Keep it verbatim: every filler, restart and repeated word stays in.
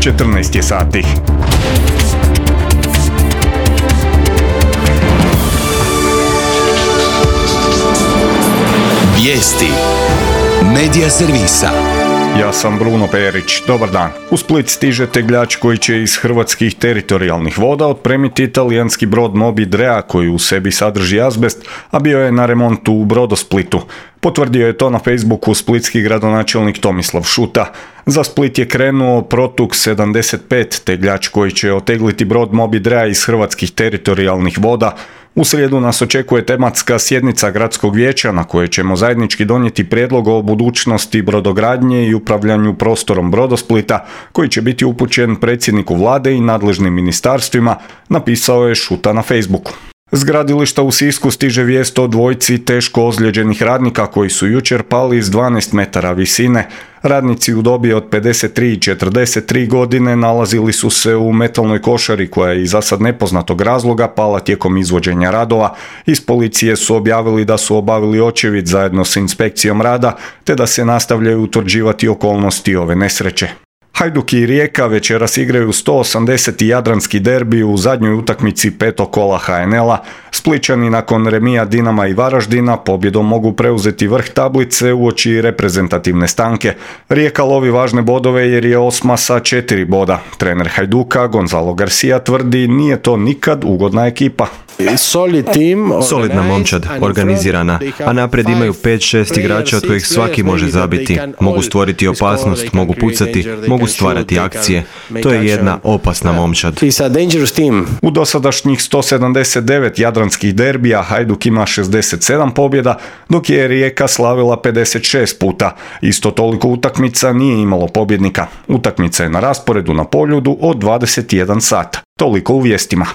četrnaest je sati. Vijesti Medija servisa. Ja sam Bruno Perić, dobar dan. U Split stiže tegljač koji će iz hrvatskih teritorijalnih voda otpremiti italijanski brod Moby Drea koji u sebi sadrži azbest, a bio je na remontu u Brodosplitu. Potvrdio je to na Facebooku splitski gradonačelnik Tomislav Šuta. Za Split je krenuo Protux sedamdeset pet, tegljač koji će otegliti brod Moby Drea iz hrvatskih teritorijalnih voda. U srijedu nas očekuje tematska sjednica gradskog vijeća na kojoj ćemo zajednički donijeti prijedlog o budućnosti brodogradnje i upravljanju prostorom Brodosplita, koji će biti upućen predsjedniku vlade i nadležnim ministarstvima, napisao je Šuta na Facebooku. S gradilišta u Sisku stiže vijest o dvojci teško ozlijeđenih radnika koji su jučer pali iz dvanaest metara visine. Radnici u dobi od pedeset tri i četrdeset tri godine nalazili su se u metalnoj košari koja je iz zasad nepoznatog razloga pala tijekom izvođenja radova. Iz policije su objavili da su obavili očevid zajedno s inspekcijom rada, te da se nastavljaju utvrđivati okolnosti ove nesreće. Hajduk i Rijeka večeras igraju sto osamdeseti jadranski derbi u zadnjoj utakmici petog kola ha en el-a. Splićani nakon remija Dinama i Varaždina pobjedom mogu preuzeti vrh tablice uoči reprezentativne stanke. Rijeka lovi važne bodove jer je osma sa četiri boda. Trener Hajduka Gonzalo Garcia tvrdi nije to nikad ugodna ekipa. Solidna momčad, organizirana, a naprijed imaju pet šest igrača od kojih svaki može zabiti. Mogu stvoriti opasnost, mogu pucati, mogu stvarati akcije. To je jedna opasna momčad. U dosadašnjih sto sedamdeset devet jadranskih derbija Hajduk ima šezdeset sedam pobjeda, dok je Rijeka slavila pedeset šest puta. Isto toliko utakmica nije imalo pobjednika. Utakmica je na rasporedu na Poljudu od dvadeset jedan sata. Toliko u vijestima.